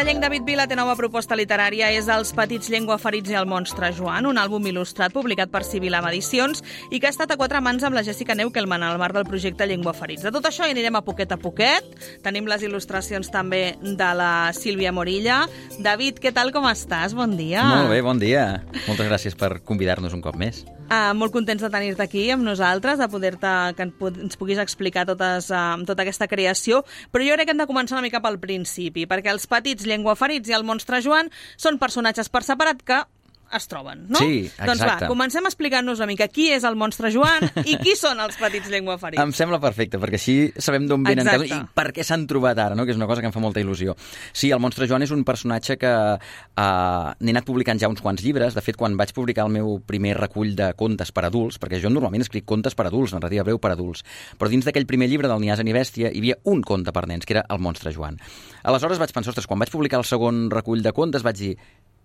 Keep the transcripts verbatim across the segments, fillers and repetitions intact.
Sardellenc David Vila té nova proposta literària, és Els petits llengüaferits i el monstre Joan, un àlbum il·lustrat publicat per Sibil·lam Edicions i que ha estat a quatre mans amb la Jessica Neukelman al marc del projecte Llengüaferits. De tot això hi anirem a poquet a poquet. Tenim les il·lustracions també de la Sílvia Morilla. David, què tal, com estàs? Bon dia. Molt bé, bon dia. Moltes gràcies per convidar-nos un cop més. Uh, molt contents de tenir-te aquí amb nosaltres, de poder-te que ens puguis explicar totes, uh, tota aquesta creació, però jo crec que hem de començar una mica pel principi, perquè els petits llengüaferits i el monstre Joan són personatges per separat que es troben, no? Sí, exacte. Doncs va, comencem explicant-nos una mica qui és el monstre Joan i qui són els petits llengüaferits. Em sembla perfecte, perquè així sabem d'on venen Exacte. i per què s'han trobat ara, no? Que és una cosa que em fa molta il·lusió. Sí, el monstre Joan és un personatge que uh, n'he anat publicant ja uns quants llibres. De fet, quan vaig publicar el meu primer recull de contes per adults, perquè jo normalment escric contes per adults, narrativa breu per adults, però dins d'aquell primer llibre del Ni ase ni bèstia hi havia un conte per nens, que era el monstre Joan. Aleshores vaig pensar, ostres, quan vaig publicar el segon recull de contes vaig dir,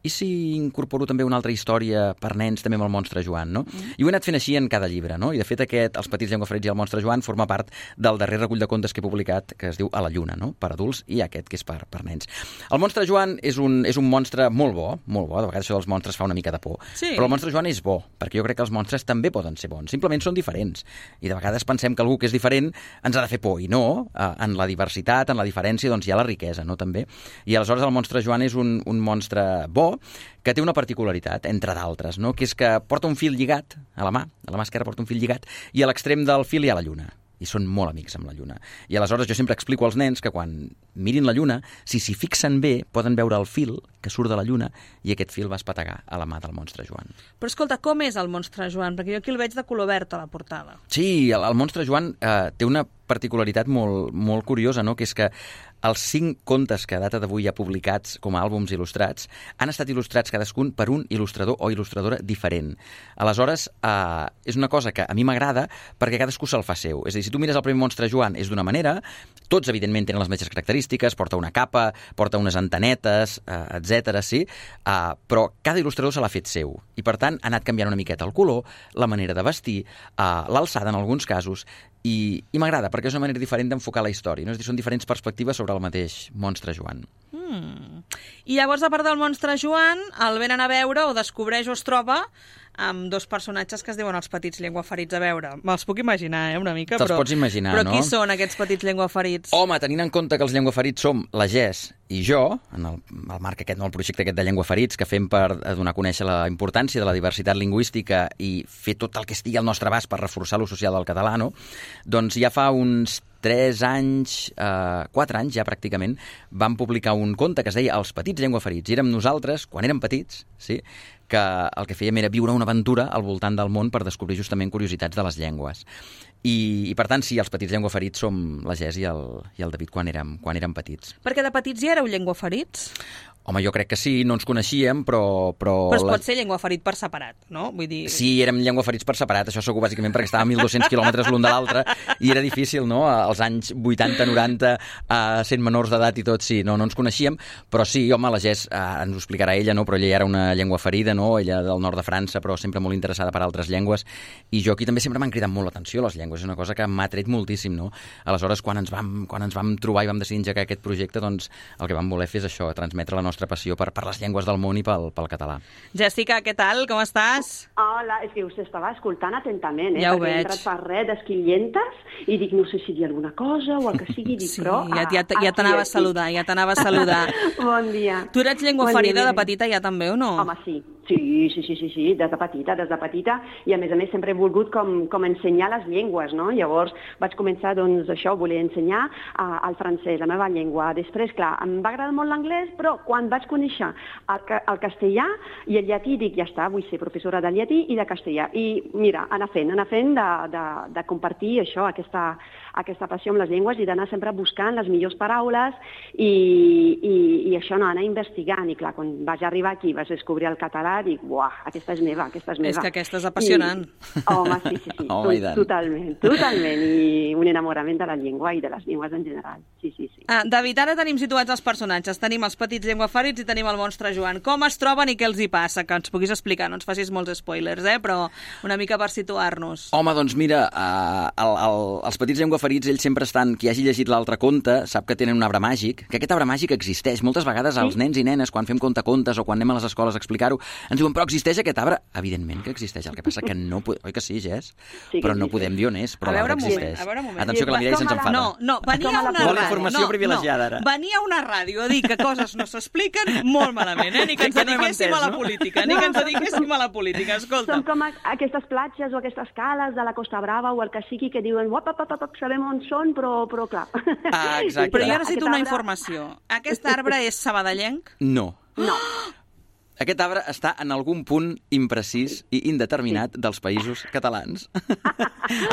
i si incorporo també una altra història per nens també amb el monstre Joan, no? Mm. I ho he anat fent així en cada llibre, no? I de fet aquest, Els petits llengüaferits i el monstre Joan, forma part del darrer recull de contes que he publicat, que es diu A la lluna, no? Per adults, i aquest que és per, per nens. El monstre Joan és un, és un monstre molt bo, molt bo, de vegades això dels monstres fa una mica de por, sí. Però el monstre Joan és bo, perquè jo crec que els monstres també poden ser bons, simplement són diferents. I de vegades pensem que algú que és diferent ens ha de fer por, i no, en la diversitat, en la diferència, doncs hi ha la riquesa, no? També. I aleshores el monstre Joan és un, un monstre bo, que té una particularitat, entre d'altres, no? Que és que porta un fil lligat a la mà, a la mà esquerra porta un fil lligat, i a l'extrem del fil hi ha la lluna. I són molt amics amb la lluna. I aleshores jo sempre explico als nens que quan mirin la lluna, si s'hi fixen bé, poden veure el fil que surt de la lluna i aquest fil va espetegar a la mà del monstre Joan. Però escolta, com és el monstre Joan? Perquè jo aquí el veig de color verd a la portada. Sí, el, el monstre Joan eh, té una particularitat molt, molt curiosa, no? Que és que els cinc contes que a data d'avui hi ha publicats com a àlbums il·lustrats han estat il·lustrats cadascun per un il·lustrador o il·lustradora diferent. Aleshores, eh, és una cosa que a mi m'agrada perquè cadascú se'l fa seu. És a dir, si tu mires el primer monstre Joan és d'una manera, tots evidentment tenen les mateixes característiques, porta una capa, porta unes antenetes, eh, etcètera, sí, eh, però cada il·lustrador se l'ha fet seu. I per tant ha anat canviant una miqueta el color, la manera de vestir, eh, l'alçada en alguns casos, i, i m'agrada perquè és una manera diferent d'enfocar la història, no? És a dir, són diferents perspectives sobre el mateix monstre Joan. Mm. I llavors, a part del monstre Joan, el venen a veure o descobreix o es troba amb dos personatges que es diuen els petits llengüaferits. A veure, me'ls puc imaginar, eh, una mica, Te'ls però... pots imaginar, però no? Però qui són aquests petits llengüaferits? Home, tenint en compte que els llengüaferits som la Jess i jo, en el, el marc aquest, no, el projecte aquest de llengüaferits que fem per donar a conèixer la importància de la diversitat lingüística i fer tot el que estigui al nostre abast per reforçar l'ús social del català, no? Doncs ja fa uns tres anys, eh, quatre anys ja pràcticament, vam publicar un conte que es deia Els petits llengüaferits. I érem nosaltres, quan érem petits, sí, que el que fèiem era viure una aventura al voltant del món per descobrir justament curiositats de les llengües. I, i per tant, sí, els petits llengüaferits som la Jess i el, i el David quan érem, quan érem petits. Perquè de petits ja éreu llengüaferits? Home, jo crec que sí, no ens coneixíem, però... Però, però es la... pot ser llengüaferit per separat, no? Vull dir... Sí, érem llengüaferits per separat, això segur bàsicament perquè estàvem a mil dos-cents quilòmetres l'un de l'altre i era difícil, no? Als anys vuitanta noranta, uh, sent menors d'edat i tot, sí, no, no ens coneixíem, però sí, home, la Jess uh, ens ho explicarà ella, no? Però ella era una llengüaferida, no? Ella del nord de França, però sempre molt interessada per altres llengües, i jo aquí també sempre m'han cridat molt l'atenció les llengües, és una cosa que m'ha tret moltíssim, no? Aleshores, quan ens vam, quan ens vam trobar i vam decidir engegar aquest projecte, doncs el que vam voler fer és això, transmetre la nostra passió per, per les llengües del món i pel, pel català. Jessica, què tal? Com estàs? Hola, és que us estava escoltant atentament, eh? Ja ho perquè veig. he entrat per res d'esquillentes i dic, no sé si dir alguna cosa o el que sigui, dic, sí, però... ja, ja, ja t'anava a saludar, ja t'anava a saludar. Bon dia. Tu eres llengüaferida bon de petita ja també, o no? Home, sí. Sí, sí, sí, sí, sí, des de petita, des de petita, i a més a més sempre he volgut com, com ensenyar les llengües, no? Llavors vaig començar, doncs, això, voler ensenyar uh, el francès, la meva llengua. Després, clar, em va agradar molt l'anglès, però quan vaig conèixer el, el castellà i el llatí, dic, ja està, vull ser professora de llatí i de castellà. I mira, anar fent, anar fent de, de, de compartir això, aquesta, aquesta passió amb les llengües i d'anar sempre buscant les millors paraules i, i, i això, no, anar investigant. I clar, quan vaig arribar aquí vaig descobrir el català allà dic, uah, aquesta és meva, aquesta és meva. És que aquesta és apassionant. I, home, sí, sí, sí, Home, tot, totalment, totalment, i un enamorament de la llengua i de les llengües en general, sí, sí, sí. Ah, David, ara tenim situats els personatges, tenim els petits llengüafarits i tenim el monstre Joan. Com es troben i què els hi passa? Que ens puguis explicar, no ens facis molts spoilers, eh? Però una mica per situar-nos. Home, doncs mira, uh, el, el, els petits llengüafarits, ells sempre estan, qui hagi llegit l'altre conte, sap que tenen un arbre màgic, que aquest arbre màgic existeix. Moltes vegades sí? Els nens i nenes, quan fem contacontes o quan anem a les escoles a explicar-ho, ens diuen, però existeix aquest arbre? Evidentment que existeix, el que passa que no... Oi que sí, Jess? Sí, però no sí, podem dir on és, però l'arbre existeix. A veure un moment. Atenció, que la Mireia se'ns enfada. No, no, venia a una Vol ràdio. informació no, privilegiada, ara. No, venia a una ràdio a dir que coses no s'expliquen molt malament, eh? Ni que ens dediquéssim a la política, ni que ens dediquéssim a la política, escolta. Són com aquestes platges o aquestes cales de la Costa Brava o el que sigui que diuen, uap, uap, uap, sabem on són, però, però clar. Ah, exacte. Però jo necessito una informació. Aquest arbre és sabadellenc? No. No. Aquest arbre està en algun punt imprecís i indeterminat sí. dels països catalans.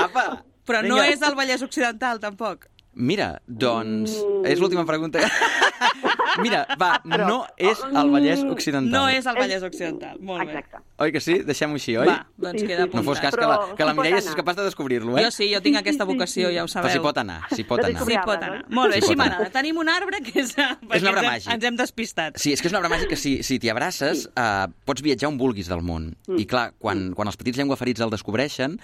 Apa! Però no Vinga. És el Vallès Occidental, tampoc. Mira, doncs, mm. és l'última pregunta. Mira, va, Però, no és el Vallès Occidental. No és el Vallès Occidental, molt bé. Exacte. Oi que sí? Deixem-ho així, oi? Va, doncs sí, queda sí, apuntat. No fos cas que la, que la Mireia és capaç de descobrir-lo, eh? Jo sí, jo tinc aquesta vocació, ja ho sabeu. Però s'hi pot anar, s'hi pot anar. Sí, pot anar. Molt bé, així m'agrada. Tenim un arbre que és... És un arbre màgic. Ens hem despistat. Sí, és que és un arbre màgic que si, si t'hi abraces sí. uh, pots viatjar on vulguis del món. Mm. I clar, quan, quan els petits llengüafarits el descobreixen,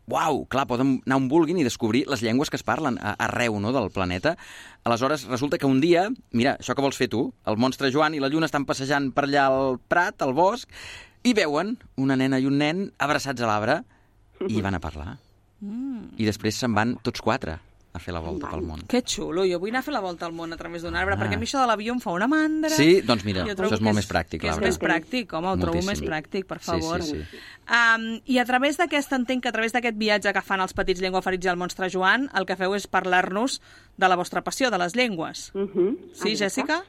uau, clar, poden anar on vulguin i descobrir les llengües que es parlen arreu, no, del planeta. Aleshores, resulta que un dia, mira, això que vols fer tu, el monstre Joan i la Lluna estan passejant per allà al prat, al bosc, i veuen una nena i un nen abraçats a l'arbre i van a parlar. Mm. I després se'n van tots quatre a fer la volta pel món. Que xulo, jo vull anar a fer la volta al món a través d'un arbre, ah. perquè a mi això de l'avió em fa una mandra. Sí, doncs mira, això és molt és, més pràctic, l'arbre. És més pràctic, home, ho trobo més pràctic, per favor. Sí, sí, sí. Um, I a través d'aquest, entenc que a través d'aquest viatge que fan els petits llengüafarits i el monstre Joan, el que feu és parlar-nos de la vostra passió, de les llengües. Uh -huh. Sí, Jèssica?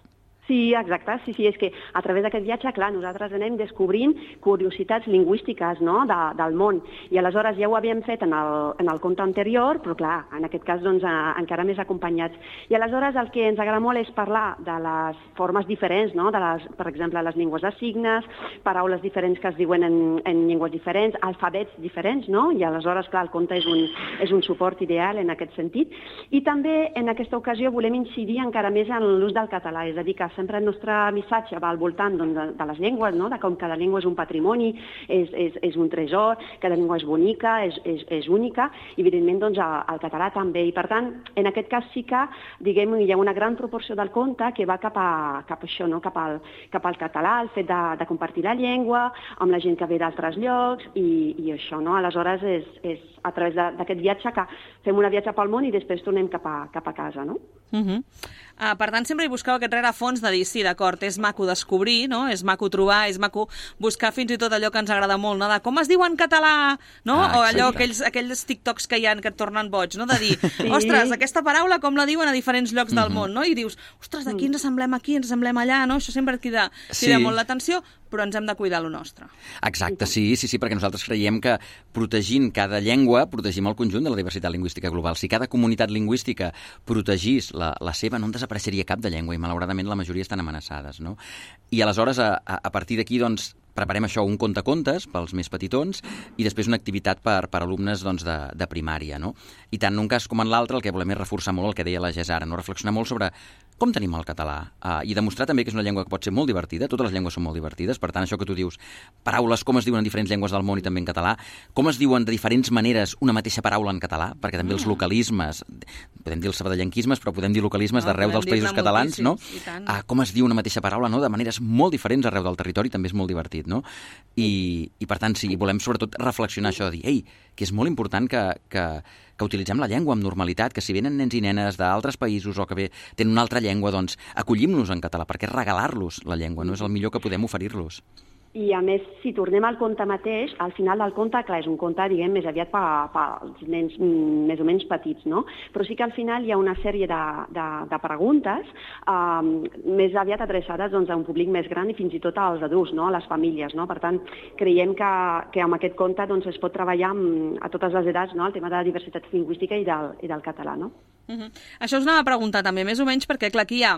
Sí, exacte. Sí, sí, és que a través d'aquest viatge, clar, nosaltres anem descobrint curiositats lingüístiques, no?, de, del món. I aleshores ja ho havíem fet en el, en el conte anterior, però clar, en aquest cas doncs, a, encara més acompanyats. I aleshores el que ens agrada molt és parlar de les formes diferents, no?, de les, per exemple, les llengües de signes, paraules diferents que es diuen en, en llengües diferents, alfabets diferents, no? I aleshores, clar, el conte és un, és un suport ideal en aquest sentit. I també en aquesta ocasió volem incidir encara més en l'ús del català, és a dir, que sempre el nostre missatge va al voltant doncs, de, de les llengües, no? De com cada llengua és un patrimoni, és, és, és un tresor, cada llengua és bonica, és, és, és única, i evidentment doncs, el català també. I per tant, en aquest cas sí que diguem, hi ha una gran proporció del conte que va cap a, cap a això, no? cap, al, cap al català, el fet de, de compartir la llengua amb la gent que ve d'altres llocs i, i això. No? Aleshores és, és a través d'aquest viatge que fem una viatge pel món i després tornem cap a, cap a casa. No? Uh -huh. uh, per tant, sempre hi busqueu aquest rerefons de dir, sí, d'acord, és maco descobrir, no? És maco trobar, és maco buscar fins i tot allò que ens agrada molt, no? De com es diu en català, no? Ah, o allò, aquells, aquells TikToks que hi ha que et tornen boig, no? De dir, sí. Ostres, aquesta paraula com la diuen a diferents llocs mm -hmm. del món, no? I dius, ostres, d'aquí ens assemblem aquí, ens assemblem allà, no? Això sempre et crida, crida sí. molt l'atenció, però ens hem de cuidar lo nostre. Exacte, sí, sí, sí, perquè nosaltres creiem que protegint cada llengua, protegim el conjunt de la diversitat lingüística global. Si cada comunitat lingüística protegís la, la seva, no en desapareixeria cap de llengua i malauradament la majoria estan amenaçades, no? I aleshores, a, a partir d'aquí, doncs, preparem això, un contacontes pels més petitons i després una activitat per, per alumnes doncs, de, de primària, no? I tant en un cas com en l'altre el que volem és reforçar molt el que deia la Jess ara, no? Reflexionar molt sobre com tenim el català uh, i demostrar també que és una llengua que pot ser molt divertida, totes les llengües són molt divertides, per tant, això que tu dius, paraules, com es diuen en diferents llengües del món i també en català, com es diuen de diferents maneres una mateixa paraula en català, perquè també els localismes, podem dir els sabadellenquismes, però podem dir localismes no, d'arreu dels països catalans, no? Uh, com es diu una mateixa paraula, no? De maneres molt diferents arreu del territori, també és molt divertit, no? I, i per tant, sí, volem sobretot reflexionar això, de dir, ei, que és molt important que, que, que utilitzem la llengua amb normalitat, que si venen nens i nenes d'altres països o que bé, tenen una altra llengua, doncs acollim-los en català, perquè regalar-los la llengua, no és el millor que podem oferir-los. I, a més, si tornem al conte mateix, al final del conte, clar, és un conte, diguem, més aviat pels nens més o menys petits, no? Però sí que al final hi ha una sèrie de, de, de preguntes um, més aviat adreçades doncs, a un públic més gran i fins i tot als adults, no? A les famílies, no? Per tant, creiem que, que amb aquest conte doncs, es pot treballar amb, a totes les edats, no? El tema de la diversitat lingüística i del, i del català, no? Uh-huh. Això us anava a preguntar també, més o menys, perquè clar, aquí hi ha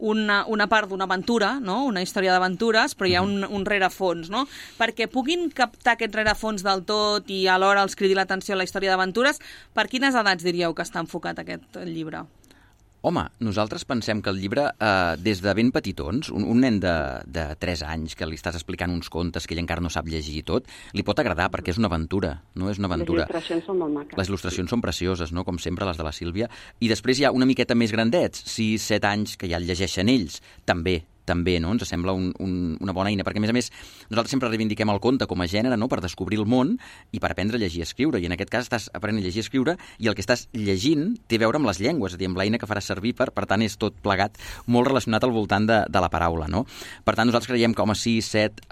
una, una part d'una aventura, no? Una història d'aventures, però hi ha un, un rerefons, no? Perquè puguin captar aquest rerefons del tot i alhora els cridi l'atenció a la història d'aventures, per quines edats diríeu que està enfocat aquest llibre? Home, nosaltres pensem que el llibre, eh, des de ben petitons, un, un nen de, de tres anys que li estàs explicant uns contes que ell encara no sap llegir i tot, li pot agradar perquè és una aventura, no? És una aventura. Les il·lustracions són molt maques. Les il·lustracions són precioses, no? Com sempre, les de la Sílvia. I després hi ha una miqueta més grandets, sis, set anys, que ja el llegeixen ells, també. també, no? Ens sembla un, un, una bona eina, perquè a més a més nosaltres sempre reivindiquem el conte com a gènere, no? Per descobrir el món i per aprendre a llegir i escriure, i en aquest cas estàs aprenent a llegir i escriure i el que estàs llegint té a veure amb les llengües, és a dir, amb l'eina que faràs servir, per, per tant és tot plegat molt relacionat al voltant de, de la paraula, no? Per tant, nosaltres creiem que home, sis, set,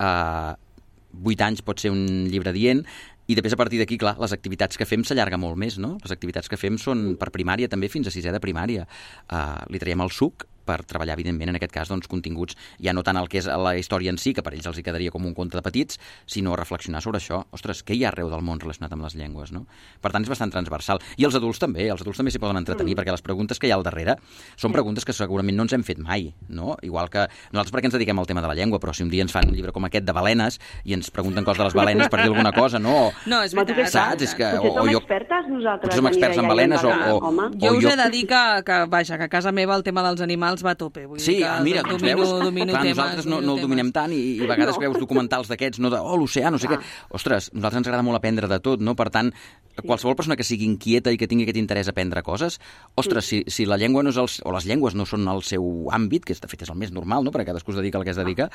vuit anys pot ser un llibre dient, i després a partir d'aquí, clar, les activitats que fem s'allarga molt més, no? Les activitats que fem són per primària també, fins a sisè de primària. Uh, li traiem el suc per treballar, evidentment, en aquest cas, doncs, continguts, ja no tant el que és la història en si, que per ells els hi quedaria com un conte de petits, sinó reflexionar sobre això. Ostres, què hi ha arreu del món relacionat amb les llengües, no? Per tant, és bastant transversal. I els adults també, els adults també s'hi poden entretenir, mm. perquè les preguntes que hi ha al darrere són preguntes que segurament no ens hem fet mai, no? Igual que nosaltres perquè ens dediquem al tema de la llengua, però si un dia ens fan un llibre com aquest de balenes i ens pregunten coses de les balenes per dir alguna cosa, no? No, és veritat. Saps? És que, potser som jo, expertes nosaltres. Potser som experts en balenes o, o, o... Jo us jo... he de dir que, que, vaja, que a casa meva el tema dels animals va a tope. Vull sí, dir que mira, domino, veus? domino Clar, temes, nosaltres no, domino no el dominem tant i, i a vegades no. veus documentals d'aquests, no de, oh, l'oceà, no sé què. Ostres, a nosaltres ens agrada molt aprendre de tot, no? Per tant, qualsevol persona que sigui inquieta i que tingui aquest interès a aprendre coses, ostres, si, si la llengua no és el, o les llengües no són el seu àmbit, que de fet és el més normal, no? Perquè cadascú es dedica al que es dedica,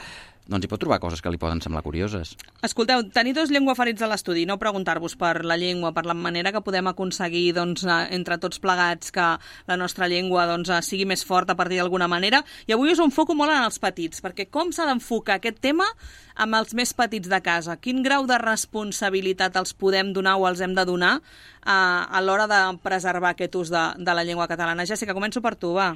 doncs hi pot trobar coses que li poden semblar curioses. Escolteu, tenir dos llengüaferits a l'estudi, no preguntar-vos per la llengua, per la manera que podem aconseguir, doncs, entre tots plegats que la nostra llengua, doncs, sigui més forta a partir d'alguna manera, i avui us enfoco molt en els petits, perquè com s'ha d'enfocar aquest tema amb els més petits de casa? Quin grau de responsabilitat els podem donar o els hem de donar a, a l'hora de preservar aquest ús de, de la llengua catalana? Jessica, començo per tu, va.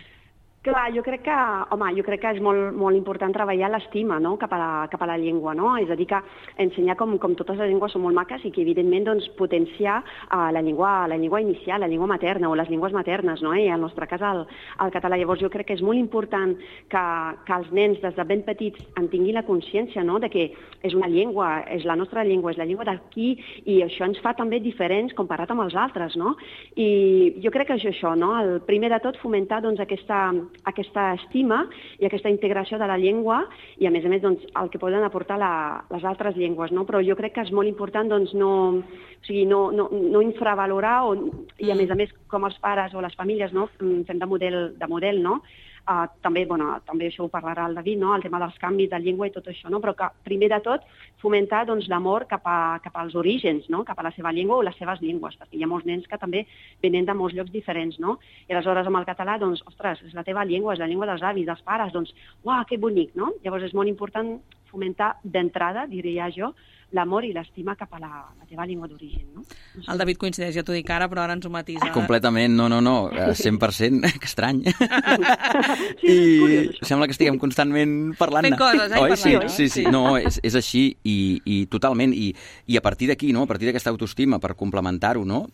Clar, jo crec que, home, jo crec que és molt, molt important treballar l'estima, no?, cap a la, cap a la llengua, no? És a dir, que ensenyar com, com totes les llengües són molt maques i que, evidentment, doncs, potenciar uh, la, llengua, la llengua inicial, la llengua materna o les llengües maternes, no? I en el nostre cas el, el català. Llavors, jo crec que és molt important que, que els nens, des de ben petits, en tinguin la consciència, no?, de que és una llengua, és la nostra llengua, és la llengua d'aquí, i això ens fa també diferents comparat amb els altres, no? I jo crec que és això, no? El primer de tot, fomentar, doncs, aquesta aquesta estima i aquesta integració de la llengua i, a més a més, doncs, el que poden aportar la, les altres llengües, no? Però jo crec que és molt important, doncs, no, o sigui, no, no, no infravalorar o, i, a més a més, com els pares o les famílies, no?, fem de model, de model, no?, Uh, també, bueno, també això ho parlarà el David, no?, el tema dels canvis de llengua i tot això, no?, però que primer de tot fomentar, doncs, l'amor cap, a, cap als orígens, no?, cap a la seva llengua o les seves llengües, perquè hi ha molts nens que també venen de molts llocs diferents, no?, i aleshores amb el català, doncs, ostres, és la teva llengua, és la llengua dels avis, dels pares, doncs, uau, que bonic, no? Llavors és molt important fomentar d'entrada, diria jo, l'amor i l'estima cap a la, la teva llengua d'origen, no? no sé. El David coincideix, ja t'ho dic ara, però ara ens ho matisa. Completament, no, no, no, cent per cent, que estrany. Sí, I és curiós, això. sembla que estiguem constantment parlant. Fent coses, eh? Oi? Parlant, Sí, no? sí, sí, no, és, és així i, i totalment, i, i a partir d'aquí, no?, a partir d'aquesta autoestima, per complementar-ho, no?,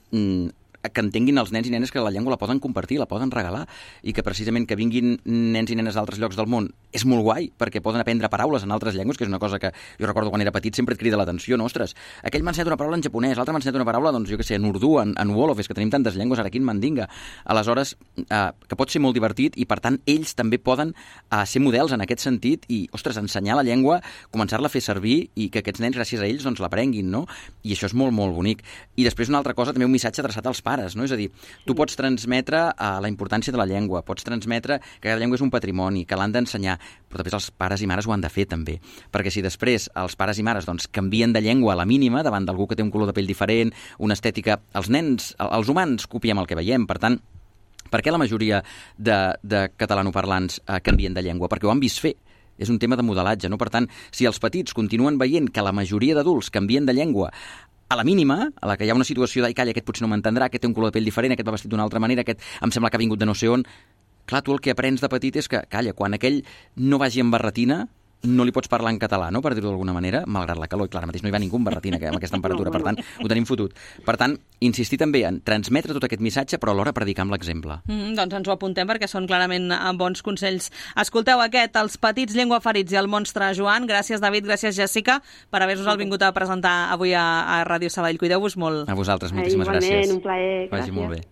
que entenguin els nens i nenes que la llengua la poden compartir, la poden regalar, i que precisament que vinguin nens i nenes d'altres llocs del món és molt guai, perquè poden aprendre paraules en altres llengües, que és una cosa que jo recordo quan era petit sempre et crida l'atenció, no? Ostres, aquell m'ha ensenyat una paraula en japonès, l'altre m'ha ensenyat una paraula, doncs jo què sé, en urdú, en, en wolof, és que tenim tantes llengües ara aquí en mandinga. Aleshores, eh, que pot ser molt divertit i per tant ells també poden eh, ser models en aquest sentit i, ostres, ensenyar la llengua, començar-la a fer servir i que aquests nens, gràcies a ells, doncs l'aprenguin, no? I això és molt, molt bonic. I després una altra cosa, també un missatge adreçat als pares, no? És a dir, tu pots transmetre uh, la importància de la llengua, pots transmetre que la llengua és un patrimoni, que l'han d'ensenyar, però després els pares i mares ho han de fer també, perquè si després els pares i mares doncs, canvien de llengua a la mínima davant d'algú que té un color de pell diferent, una estètica, els nens, els humans copiem el que veiem, per tant, per què la majoria de, de catalanoparlants uh, canvien de llengua? Perquè ho han vist fer. És un tema de modelatge, no? Per tant, si els petits continuen veient que la majoria d'adults canvien de llengua a la mínima, a la que hi ha una situació d'ai, calla, aquest potser no m'entendrà, aquest té un color de pell diferent, aquest va vestit d'una altra manera, aquest em sembla que ha vingut de no sé on. Clar, tu el que aprens de petit és que, calla, quan aquell no vagi amb barretina, no li pots parlar en català, no?, per dir-ho d'alguna manera, malgrat la calor. I clar, ara mateix no hi va ningú amb barretina amb aquesta temperatura, per tant, ho tenim fotut. Per tant, insistir també en transmetre tot aquest missatge, però alhora predicar amb l'exemple. Mm, doncs ens ho apuntem perquè són clarament bons consells. Escolteu aquest, Els petits llengüaferits i el monstre Joan. Gràcies, David, gràcies, Jèssica, per haver-nos vingut a presentar avui a, a Ràdio Sabadell. Cuideu-vos molt. A vosaltres, moltíssimes Igualment, gràcies. un plaer. Vagi Gràcies. molt bé.